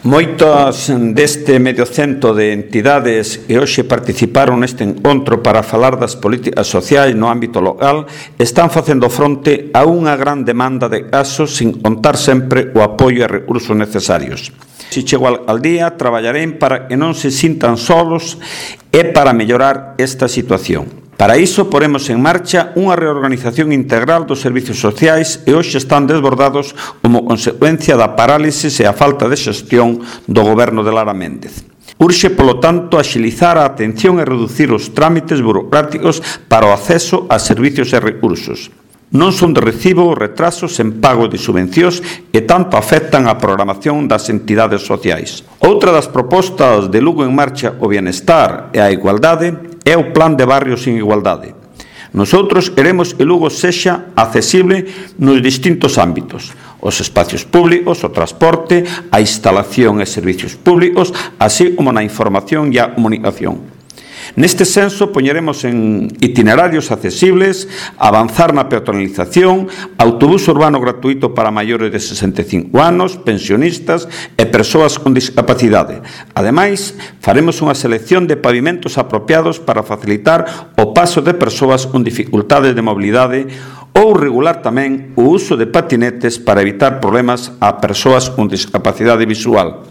Moitas deste medio cento de entidades que hoxe participaron neste encontro para falar das políticas sociais no ámbito local están facendo fronte a unha gran demanda de casos sin contar sempre o apoio e recursos necesarios. Se chego á alcaldía, traballarei para que non se sintan solos e para mellorar esta situación. Para iso, poremos en marcha unha reorganización integral dos servizos sociais e hoxe están desbordados como consecuencia da parálisis e a falta de xestión do goberno de Lara Méndez. Urxe, polo tanto, axilizar a atención e reducir os trámites burocráticos para o acceso a servizos e recursos. Non son de recibo os retrasos en pago de subvencións que tanto afectan a programación das entidades sociais. Outra das propostas de Lugo en Marcha o Bienestar e a Igualdade é o Plan de Barrios sin Igualdade. Nosotros queremos que Lugo sexa accesible nos distintos ámbitos: os espacios públicos, o transporte, a instalación e servicios públicos, así como na información e a comunicación. Neste senso, poñeremos en itinerarios accesibles, avanzar na peatonalización, autobús urbano gratuito para maiores de 65 anos, pensionistas e persoas con discapacidade. Ademais, faremos unha selección de pavimentos apropiados para facilitar o paso de persoas con dificultades de mobilidade ou regular tamén o uso de patinetes para evitar problemas a persoas con discapacidade visual.